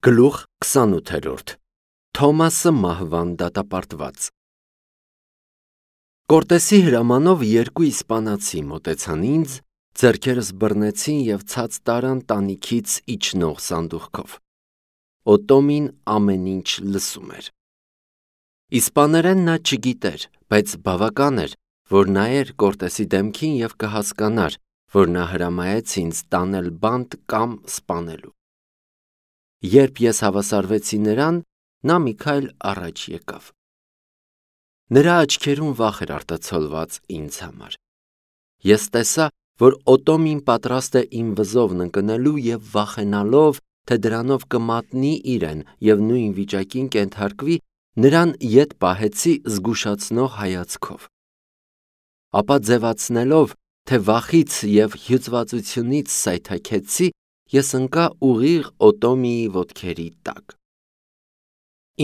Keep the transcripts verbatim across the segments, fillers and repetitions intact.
Գլուխ քսանութերորդ Թոմասը մահվան դատապարտված Կորտեսի հրամանով երկու իսպանացի մոտեցան ինձ, ձեռքերս բռնեցին և ցած տարան տանիքից իջնող սանդուղքով։ Օտոմին ամեն ինչ լսում էր։ Իսպաներեն նա չգիտեր, բայց բավական էր, որ նայեր Կորտեսի դեմքին և կհասկանար, որ նա հրամայեց ինձ տանել բանտ կամ սպանելու։ Երբ ես հավասարվեցի նրան, նա մի քայլ առաջ եկավ։ Նրա աչքերում վախ էր արտացոլված ինձ համար։ Ես տեսա, որ Օտոմին պատրաստ է իմ վզովն ընկնելու և վախենալով, թե դրանով կմատնի իրեն և նույն վիճակին կենթարկվի, նրան ետ պահեցի զգուշացնող հայացքով։ Ապա ձևացնելով, թե վախից և հյուծվածությունից սայթաքեցի, ես ընկա ուղիղ Օտոմիի ոտքերի տակ։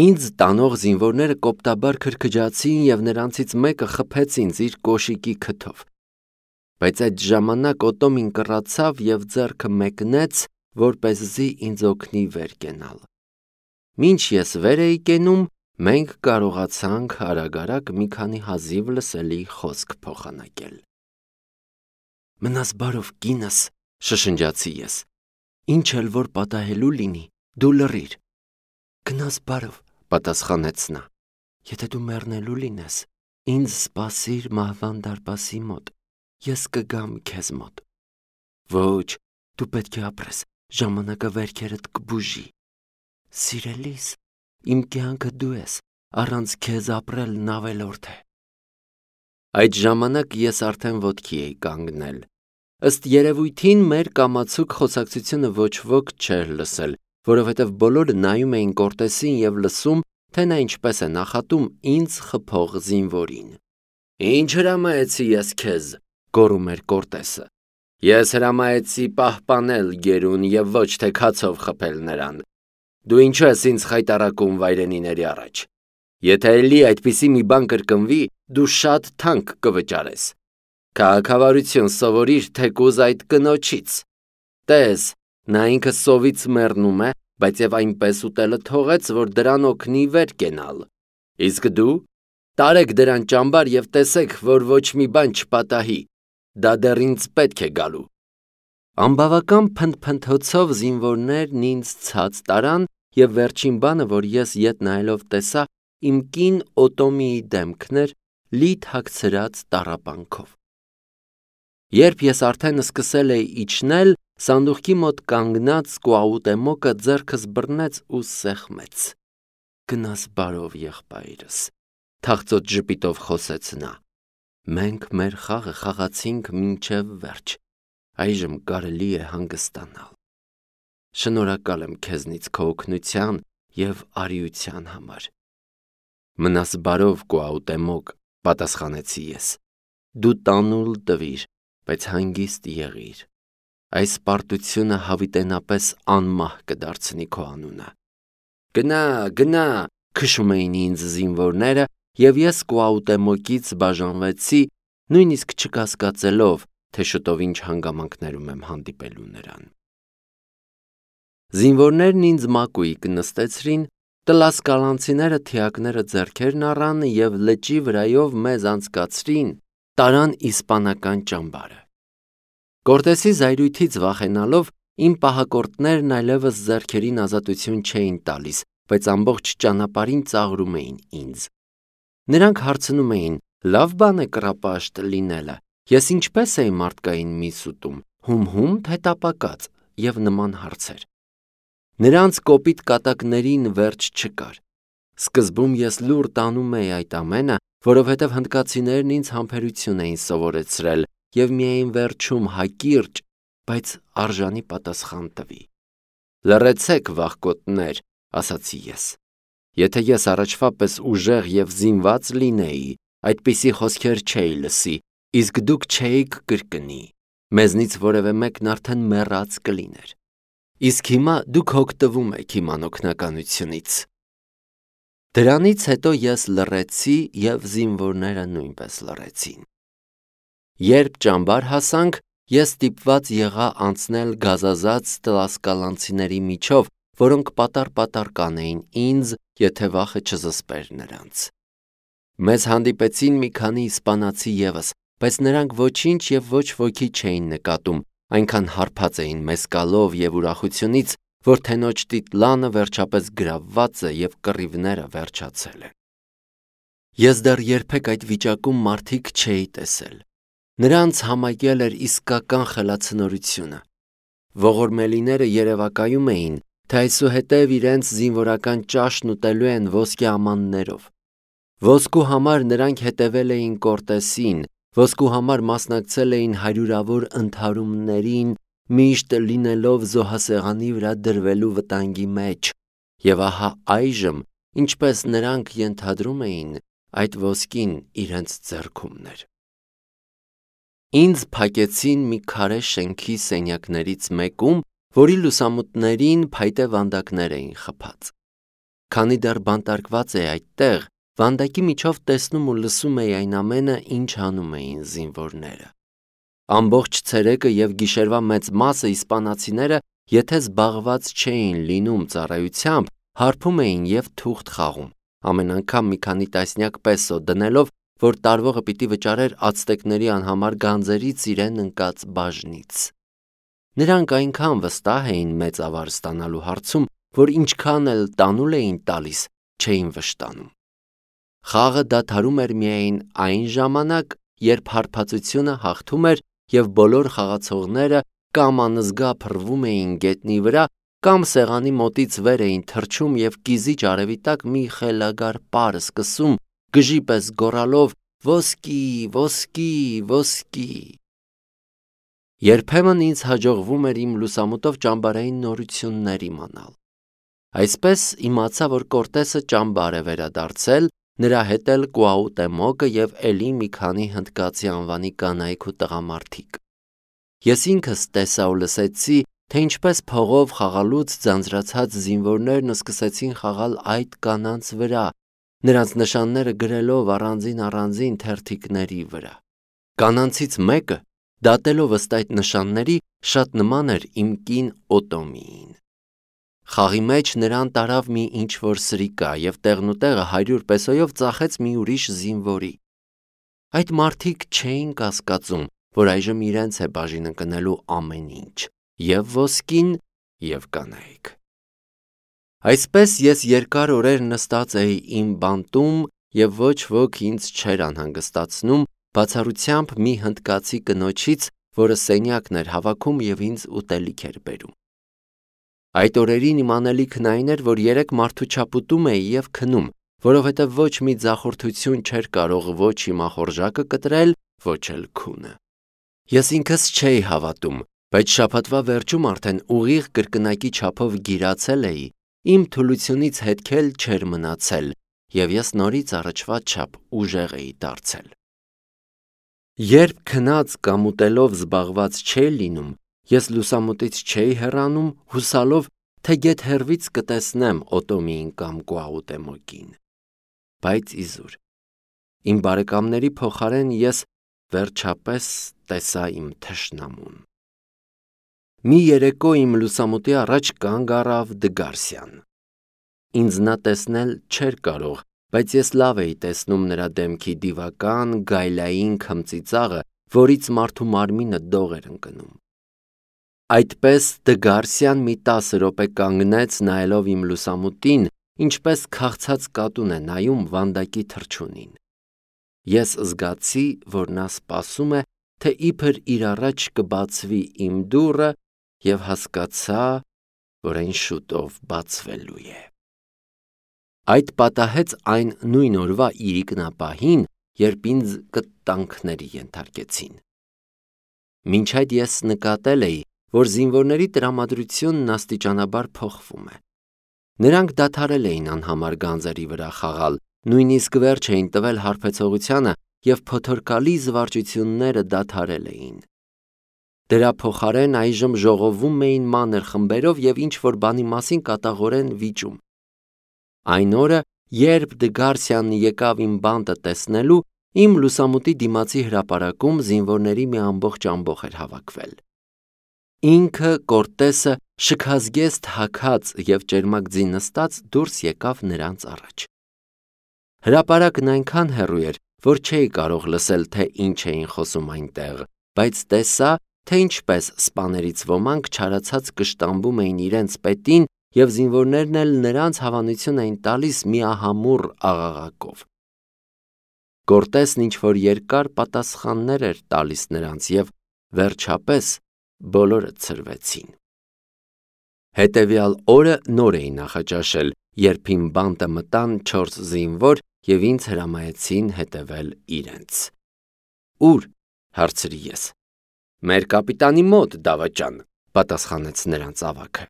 Ինձ տանող զինվորները կոպտաբար քրքջացին և նրանցից մեկը խփեց ինձ իր կոշիկի քթով։ Բայց այդ ժամանակ Օտոմին կռացավ և ձեռքը մեկնեց, որպեսզի ինձ օգնի վեր կենալ։ Մինչ ես վեր էի կենում, մենք կարողացանք արագ-արագ մի քանի հազիվ լսելի խոսք փոխանակել։ «Մնաս բարով, կինս», շշնջացի ես։ «Ինչ էլ որ պատահելու լինի, դու լռիր»։ «Գնաս բարով», պատասխանեց նա։ «Եթե դու մեռնելու լինես, ինձ սպասիր մահվան դարպասի մոտ, ես կգամ քեզ մոտ»։ «Ոչ, դու պետք է ապրես, ժամանակը վերքերդ կբուժի»։ «Սիրելիս, իմ կյանքը դու ես, առանց քեզ ապրելն ավելորդ է»։ Այդ ժամանակ ես արդեն ոտքի էի կանգնել։ Ըստ երևույթին մեր կամացուկ խոսակցությունը ոչ ոք չէր լսել, որովհետև բոլորը նայում էին Կորտեսին և լսում, թե նա ինչպես է նախատում ինձ խփող զինվորին։ «Ինչ հրամայեցի ես քեզ», գոռում էր Կորտեսը։ «Ես հրամայեցի պահպանել գերուն և ոչ թե քացով խփել նրան։ Դու ինչու ես ինձ խայտառակում վայրենիների առաջ։ Եթե էլի այդպիսի մի բան կրկնվի, դու շատ թանկ կվճարես։ Քաղաքավարություն սովորիր թեկուզ այդ կնոջից։ Տես, նա ինքը սովից մեռնում է, բայց և այնպես ուտելը թողեց, որ դրան օգնի վեր կենալ։ Իսկ դու տարեք դրան ճամբար և տեսեք, որ ոչ մի բան չպատահի։ Դա դեռ ինձ պետք է գալու»։ Անբավական փնթփնթոցով զինվորներն ինձ ցած տարան, և վերջին բանը, որ ես ետ նայելով տեսա, իմ կին Օտոմիի դեմքն էր՝ լի թաքցրած տառապանքով։ Երբ ես արդեն սկսել էի իջնել, սանդուղքի մոտ կանգնած Կուաուտեմոկը ձեռքս բռնեց ու սեղմեց։ «Գնաս բարով, եղբայրս», թախծոտ ժպիտով խոսեց նա։ «Մենք մեր խաղը խաղացինք մինչև վերջ, այժմ կարելի է հանգստանալ։ Շնորհակալ եմ քեզնից քո օգնության և արիության համար»։ «Մնաս բարով, Կուաուտեմոկ», պատասխանեցի ես։ «Դու տանուլ տվիր, բայց հանգիստ եղիր։ Այս պարտությունը հավիտենապես անմահ կդարձնի քո անունը»։ «Գնա, գնա», քշում էին ինձ զինվորները, և ես Կուաուտեմոկից բաժանվեցի, նույնիսկ չկասկածելով, թե շուտով ինչ հանգամանքներում եմ հանդիպելու նրան։ Զինվորներն ինձ մակույկը նստեցրին, տլասկալանցիները թիակները ձեռքերն առան և լճի վրայով մեզ անցկացրին, տարան իսպանական ճամբարը։ Կորտեսի զայրույթից վախենալով, իմ պահակորդներն այլևս ձեռքերին ազատություն չէին տալիս, բայց ամբողջ ճանապարհին ծաղրում էին ինձ։ Նրանք հարցնում էին. «Լավ բան է կռապաշտ լինելը, ես ինչպե՞ս էի մարդկային միս ուտում, հում-հում, թե տապակած» և նման հարցեր։ Նրանց կոպիտ կատակներին վերջ չկար։ Սկզբում ես լուռ տանում էի այդ ամենը, որովհետև հնդկացիներն ինձ համբերություն էին սովորեցրել և միայն վերջում հակիրճ, բայց արժանի պատասխան տվի։ «Լռեցեք, վախկոտներ», ասացի ես։ Եթե ես առաջվա պես ուժեղ և զինված լինեի, այդպիսի խոսքեր չէի լսի, իսկ դուք չէիք կրկնի։ Մեզնից որևէ մեկն արդեն մեռած կլիներ։ Իսկ հիմա դուք հոգտվում եք իմ անօգնականությունից։ Դրանից հետո ես լռեցի և զինվորները նույնպես լռեցին։ Երբ ճամբար հասանք, ես ստիպված եղա անցնել գազազած տլասկալանցիների միջով, որոնք պատար-պատար կանեին ինձ, եթե վախը չզսպեր նրանց։ Մեզ հանդիպեցին մի քանի իսպանացի ևս, բայց նրանք ոչինչ և ոչ ոքի չէին նկատում, այնքան հարբած էին մեզ գալով և ուրախությունից, որ թենոջ տիտլանը վերջապես գրավված է և կռիվները վերջացել են։ Ես դեռ երբեք այդ վիճակում մարդիկ չէի տեսել։ Նրանց համակել էր իսկական խելացնորությունը։ Ողորմելիները երևակայում էին, թե այսուհետև իրենց զինվորական ճաշն ուտելու են ոսկե ամաններով։ Ոսկու համար նրանք հետևել էին Կորտեսին, ոսկու համար մասնակցել էին հարյուրավոր ընդհարումներին, միշտ լինելով զոհասեղանի վրա դրվելու վտանգի մեջ, և ահա այժմ, ինչպես նրանք ենթադրում էին, այդ ոսկին իրենց ձեռքումն էր։ Ինձ փակեցին մի քարե շենքի սենյակներից մեկում, որի լուսամուտներին փայտե վանդակներ էին խփած։ Քանի դեռ բանտարկված էի այդտեղ, վանդակի միջով տեսնում ու լսում էի այն ամենը, ինչ անում էին զինվորները։ Ամբողջ ցերեկը և գիշերվա մեծ մասը իսպանացիները, եթե զբաղված չէին լինում ծառայությամբ, հարբում էին և թուղթ խաղում, ամեն անգամ մի քանի տասնյակ պեսո դնելով, որ տարվողը պիտի վճարեր ացտեկների անհամար գանձերից իրեն ընկած բաժնից։ Նրանք այնքան վստահ էին մեծ ավար ստանալու հարցում, որ ինչքան էլ տանուլ էին տալիս, չէին վշտանում։ Խաղը դադարում էր միայն այն ժամանակ, երբ հարբածությունը հաղթում էր և բոլոր խաղացողները կամ անզգա փռվում էին գետնի վրա, կամ սեղանի մոտից վեր էին թռչում և կիզիչ արևի տակ մի խելագար պար սկսում, գժի պես գոռալով «Ոսկի, ոսկի, ոսկի»։ Երբեմն ինձ հաջողվում էր իմ լուսամուտով ճամբարային նորություններ իմանալ։ Այսպես իմացա, որ Կորտեսը ճամբար է վերադարձել, նրա հետ էլ Կուաուտեմոկը և էլի մի քանի հնդկացի անվանի կանայք ու տղամարդիկ։ Ես ինքս տեսա ու լսեցի, թե ինչպես փողով խաղալուց ձանձրացած զինվորներն սկսեցին խաղալ այդ կանանց վրա, նրանց նշանները գրելով առանձին-առանձին թերթիկների վրա։ Կանանցից մեկը, դատելով ըստ այդ նշանների, շատ նման էր իմ կին Օտոմիին։ Խաղի մեջ նրան տարավ մի ինչ-որ սրիկա և տեղնուտեղը հարյուր պեսոյով ծախեց մի ուրիշ զինվորի։ Այդ մարդիկ չէին կասկածում, որ այժմ իրենց է բաժին ընկնելու ամեն ինչ, և ոսկին, և կանայք։ Այսպես ես երկար օրեր նստած էի իմ բանտում և ոչ ոք ինձ չէր անհանգստացնում, բացառությամբ մի հնդկացի կնոջից, որը սենյակն էր հավաքում և ինձ ուտելիք էր բերում։ Այդ օրերին իմ անելիքն այն էր, որ երեք մարդու չափ ուտում էի և քնում, որովհետև ոչ մի ձախորդություն չէր կարող ոչ իմ ախորժակը կտրել, ոչ էլ քունը։ Ես ինքս չէի հավատում, բայց շաբաթվա վերջում արդեն ուղիղ կրկնակի չափով գիրացել էի, իմ թուլությունից հետք էլ չէր մնացել, և ես նորից առաջվա չափ ուժեղ էի դարձել։ Երբ քնած կամ ուտելով զբաղված չէի լինում, ես լուսամուտից չէի հեռանում, հուսալով, թե գեթ հեռվից կտեսնեմ Օտոմիին կամ Կուաուտեմոկին։ Բայց իզուր, իմ բարեկամների փոխարեն ես վերջապես տեսա իմ թշնամուն։ Մի երեկո իմ լուսամուտի առաջ կանգ առավ Դգարսյան։ Ինձ նա տեսնել չէր կարող, բայց ես լավ էի տեսնում նրա դեմքի դիվական, գայլային քմծիծաղը, որից մարդու մարմինը դող էր ընկնում։ Այդպես Դգարսյան մի տասը րոպե կանգնեց նայելով իմ լուսամուտին, ինչպես քաղցած կատուն է նայում վանդակի թռչունին։ Ես զգացի, որ նա սպասում է, թե իբր իր առաջ կբացվի իմ դուռը, և հասկացա, որ այն շուտով բացվելու է։ Այդ պատահեց այն նույն օրվա իրիկնապահին, երբ ինձ կտանքների ենթարկեցին։ Մինչ այդ ես նկատել էի, որ զինվորների տրամադրությունն աստիճանաբար փոխվում է։ Նրանք դադարել էին անհամար գանձերի վրա խաղալ, նույնիսկ վերջ էին տվել հարբեցողությանը և փոթորկալի զվարճությունները դադարել էին։ Դրա փոխարեն այժմ ժողովում էին մանր խմբերով և ինչ-որ բանի մասին կատաղորեն վիճում։ Այն օրը, երբ Դգարսյանն եկավ իմ բանտը տեսնելու, իմ լուսամուտի դիմացի հրապարակում զինվորների մի ամբողջ ամբոխ էր հավաքվել։ Ինքը Կորտեսը շքազգեստ հագած և ճերմակ ձի նստած դուրս եկավ նրանց առաջ։ Հրապարակն այնքան հեռու էր, որ չէի կարող լսել, թե ինչ էին խոսում այնտեղ, բայց տեսա, թե ինչպես սպաներից ոմանք չարացած կշտամբում էին իրենց պետին և զինվորներն էլ նրանց հավանություն էին տալիս միահամուռ աղաղակով։ Կորտեսն ինչ-որ երկար պատասխաններ էր տալիս նրանց և վերջապես բոլորը ցրվեցին։ Հետևյալ օրը նոր էի նախաճաշել, երբ իմ բանտը մտան չորս զինվոր և ինձ հրամայեցին հետևել իրենց։ Ո՞ւր, հարցրի ես։ Մեր կապիտանի մոտ, դավաճան, պատասխանեց նրանց ավագը։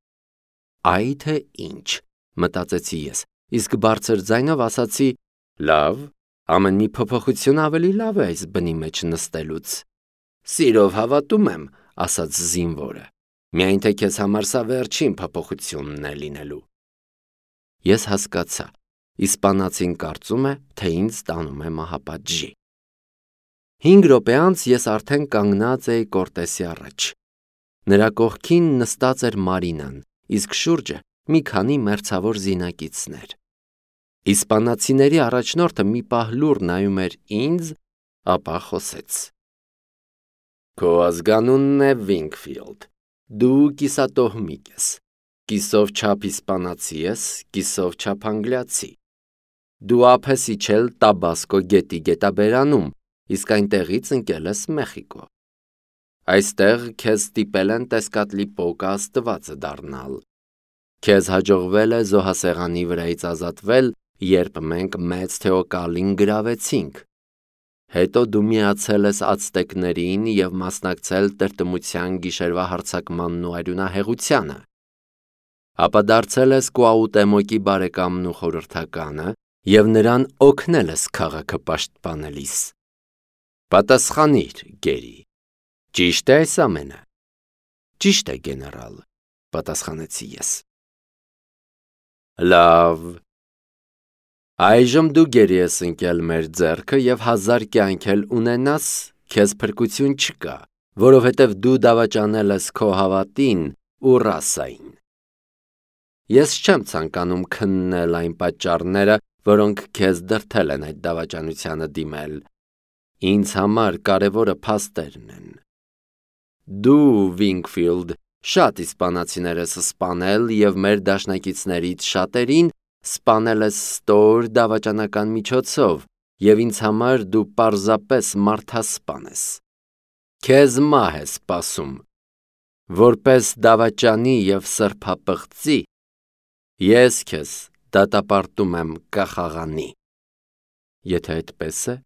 Այ թե ինչ, մտածեցի ես, իսկ բարձր ձայնով ասացի. լավ, ամեն մի փոփոխություն ավելի լավ է այս բնի մեջ նստելուց։ Սիրով հավատում եմ, ասաց զինվորը, միայն թե քեզ համար սա վերջին փոփոխությունն է լինելու։ Ես հասկացա, իսպանացին կարծում է, թե ինձ տանում է մահապատժի։ Հինգ րոպե անց ես արդեն կանգնած էի Կորտեսի առաջ։ Նրա կողքին նստած էր Մարինան, իսկ շուրջը մի քանի մերձավոր զինակիցներ։ Իսպանացիների առաջնորդը մի պահ լուռ նայում էր ինձ, ապա խոսեց. Քո ազգանունն է Վինքֆիլդ, դու կիսատոհմիկ ես, կիսով չափ իսպանացի ես, կիսով չափ անգլիացի։ Դու ափ ես իջել Տաբասկո գետի գետաբերանում, իսկ այնտեղից ընկել ես Մեխիկո։ Այստեղ քեզ ստիպել են Տեսկատլիպոկա աստվածը դառնալ։ Քեզ հաջողվել է զոհասեղանի վրայից ազատվել, երբ մենք մեծ Թեոկալին գրավեցինք։ Հետո դու միացել ես ացտեկներին և մասնակցել տրտմության գիշերվա հարձակմանն ու արյունահեղությանը։ Ապա դարձել ես Կուաուտեմոկի բարեկամն ու խորհրդականը և նրան օգնել ես քաղաքը պաշտպանելիս։ Պատասխանիր, գերի, ճի՞շտ է այս ամենը։ Ճիշտ է, գեներալ, պատասխանեցի ես։ Լավ։ Այժմ դու գերի ես ընկել մեր ձեռքը և հազար կյանք էլ ունենաս, քեզ փրկություն չկա, որովհետև դու դավաճանել ես քո հավատին ու ռասային։ Ես չեմ ցանկանում քննել այն պատճառները, որոնք քեզ դրդել են այդ դավաճանությանը դիմել։ Ինձ համար կարևորը փաստերն են։ Դու, Վինքֆիլդ, շատ իսպանացիներ ես սպանել և մեր դաշնակիցներից շատերին սպանել ես ստոր դավաճանական միջոցով, և ինձ համար դու պարզապես մարդասպան ես։ Քեզ մահ է սպասում։ Որպես դավաճանի և սրբապղծի, ես քեզ դատապարտում եմ կախաղանի։ Եթե այդպես է,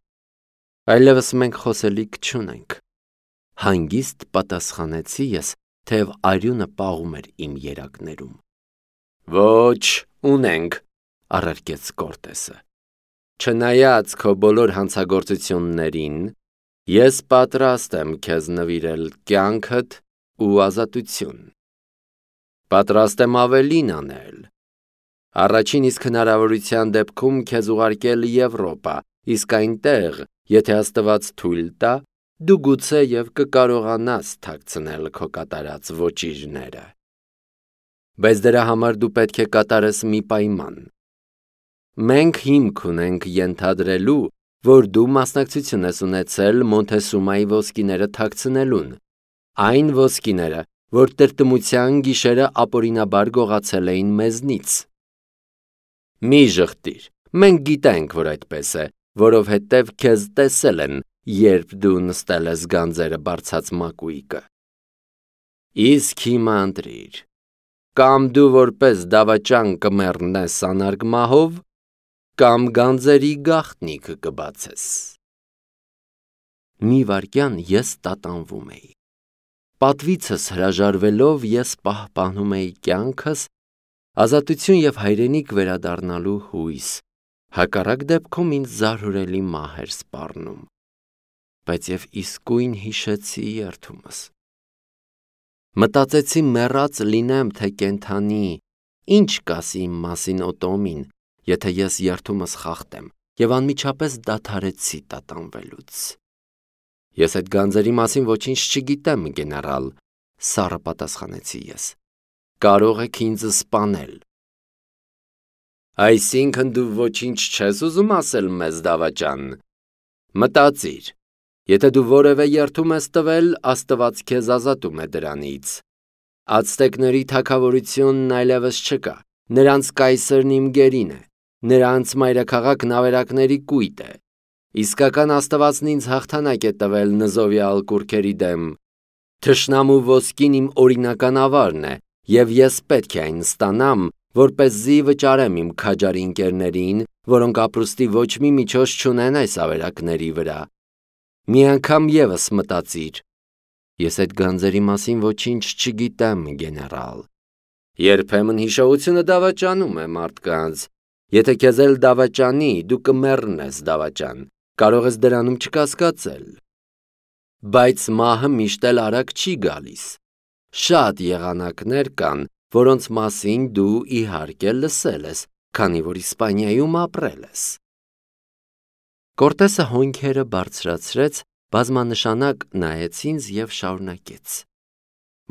այլևս մենք խոսելիք չունենք, հանգիստ պատասխանեցի ես, թեև արյունը պաղում էր իմ երակներում։ Ոչ, ունենք, առարկեց Կորտեսը։ Չնայած քո բոլոր հանցագործություններին, ես պատրաստ եմ քեզ նվիրել կյանքդ ու ազատություն։ Պատրաստ եմ ավելին անել։ Առաջին իսկ հնարավորության դեպքում քեզ ուղարկել Եվրոպա, իսկ այնտեղ, եթե Աստված թույլ տա, դու գուցե և կկարողանաս թաքցնել քո կատարած ոճիրները։ Բայց դրա համար դու պետք է կատարես մի պայման։ Մենք հիմք ունենք ենթադրելու, որ դու մասնակցություն ես ունեցել Մոնթեսումայի ոսկիները թաքցնելուն, այն ոսկիները, որ տրտմության գիշերը ապօրինաբար գողացել էին մեզնից։ Մի ժխտիր, մենք գիտենք, որ այդպես է, որովհետև քեզ տեսել են, երբ դու նստել ես գանձերը բարձած մակույկը։ Իսկ հիմա ընտրիր, կամ դու որպես դավաճան կմեռնես անարգ մահով, կամ գանձերի գաղտնիք կբացես։ Մի վայրկյան ես տատանվում էի։ Պատվիցս հրաժարվելով ես պահպանում էի կյանքս, ազատություն և հայրենիք վերադառնալու հույս, հակառակ դեպքում ինձ զարհուրելի մահ էր սպառնում, բայց և իսկույն հիշեցի երդումս։ Մտածեցի մեռած լինեմ, թե կենդանի, ինչ կասի իմ մասին Օտոմին, եթե ես երդումս խախտեմ, և անմիջապես դադարեցի տատանվելուց։ Ես այդ գանձերի մասին ոչինչ չգիտեմ, գեներալ, սառը պատասխանեցի ես։ կարող եք ինձ սպանել։ Այսինքն դու ոչինչ չես ուզում ասել մեզ, դավաճան։ Մտածիր, եթե դու որևէ երդում ես տվել, Աստված քեզ ազատում է դրանից։ Ացտեկների թագավորությունն այլևս չկա, նրանց կայսրն իմ գերին է, նրանց մայրաքաղաքն ավերակների կույտ է։ Իսկական Աստվածն ինձ հաղթանակ է տվել նզովյալ կուռքերի դեմ։ Թշնամու ոսկին իմ օրինական ավարն է, և ես պետք է այն ստանամ, որպեսզի վճարեմ իմ քաջարի ընկերներին, որոնք ապրուստի ոչ մի միջոց չունեն այս ավերակների վրա։ Մի անգամ ևս մտածիր. ես այդ գանձերի մասին ոչինչ չգիտեմ, գեներալ։ Երբեմն հիշողությունը դավաճանում է մարդկանց։ Եթե քեզ էլ դավաճանի, դու կմեռնես, դավաճան, կարող ես դրանում չկասկածել։ Բայց մահը միշտ էլ արագ չի գալիս։ Շատ եղանակներ կան, որոնց մասին դու իհարկե լսել ես, քանի որ Իսպանիայում ապրել ես։ Կորտեսը հոնքերը բարձրացրեց, բազմանշանակ նայեց ինձ և շարունակեց.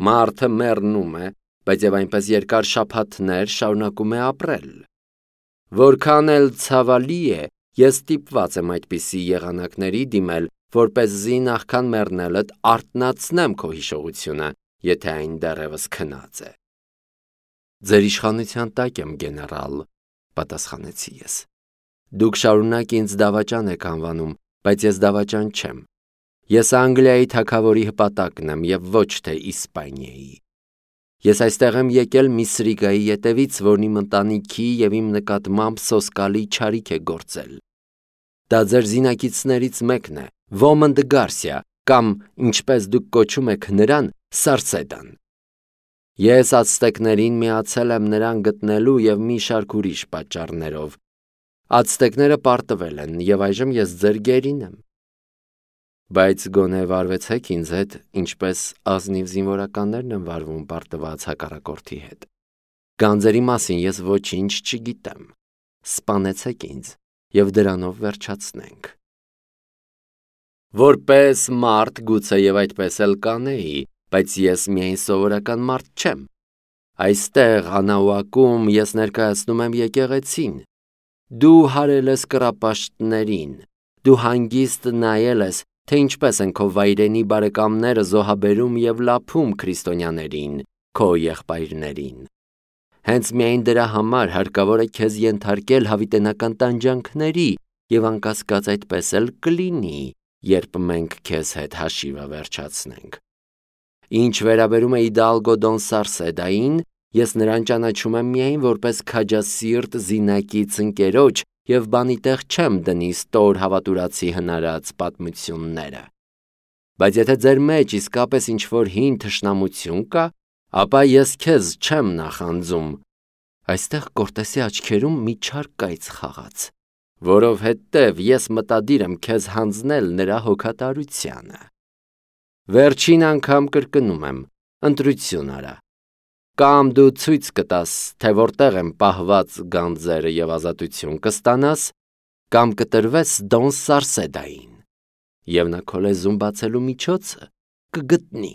Մարդը մեռնում է, բայց և այնպես երկար շաբաթներ շարունակում է ապրել։ Որքան էլ ցավալի է, ես ստիպված եմ այդպիսի եղանակների դիմել, որպեսզի նախքան մեռնելդ արթնացնեմ քո հիշողությունը, եթե այն դեռևս քնած է։ Ձեր իշխանության տակ եմ, գեներալ, պատասխանեցի ես։ Դուք շարունակ ինձ դավաճան եք անվանում, բայց ես դավաճան չեմ։ Ես Անգլիայի թագավորի հպատակն եմ և ոչ թե Իսպանիայի։ Ես այստեղ եմ եկել մի սրիկայի ետևից, որն իմ ընտանիքի և իմ նկատմամբ սոսկալի չարիք է գործել։ Դա ձեր զինակիցներից մեկն է, Ոմոնդ Գարսիա, կամ, ինչպես դուք կոչում եք նրան, Սարսեդան։ Ես ացտեկներին միացել եմ նրան գտնելու և մի շարք ուրիշ պատճառներով։ Ացտեկները պարտվել են, և այժմ ես ձեր գերին եմ։ Բայց գոնե վարվեցեք ինձ հետ, ինչպես ազնիվ զինվորականներն են վարվում պարտված հակառակորդի հետ։ Գանձերի մասին ես ոչինչ չգիտեմ։ Սպանեցեք ինձ, և դրանով վերջացնենք։ Որպես մարդ գուցեև այդպես էլ կանեի, բայց ես միայն սովորական մարդ չեմ։ Այստեղ Անաուակում ես ներկայացնում եմ եկեղեցին։ Դու հարել ես կռապաշտներին, դու հանգիստ նայել ես, թե ինչպես են քո վայրենի բարեկամները զոհաբերում և լափում քրիստոնյաներին, քո եղբայրներին։ Հենց միայն դրա համար հարկավոր է քեզ ենթարկել հավիտենական տանջանքների, և անկասկած այդպես էլ կլինի, երբ մենք քեզ հետ հաշիվը վերջացնենք։ Ինչ վերաբերում է Իդալգո Դոն Սարսեդային, ես նրան ճանաչում եմ միայն որպես քաջասիրտ զինակից ընկերոջ և բանի տեղ չեմ դնի ստոր հավատուրացի հնարած պատմությունները։ Բայց եթե ձեր մեջ իսկապես ինչ-որ հին թշնամություն կա, ապա ես քեզ չեմ նախանձում։ Այստեղ Կորտեսի աչքերում մի չար կայծ խաղաց, որովհետև ես մտադիր եմ քեզ հանձնել նրա հոգատարությանը։ Վերջին անգամ կրկնում եմ, ընտրություն արա։ Կամ դու ցույց կտաս, թե որտեղ են պահված գանձերը և ազատություն կստանաս, կամ կտրվես Դոն Սարսեդային, և նա քո լեզուն բացելու միջոցը կգտնի։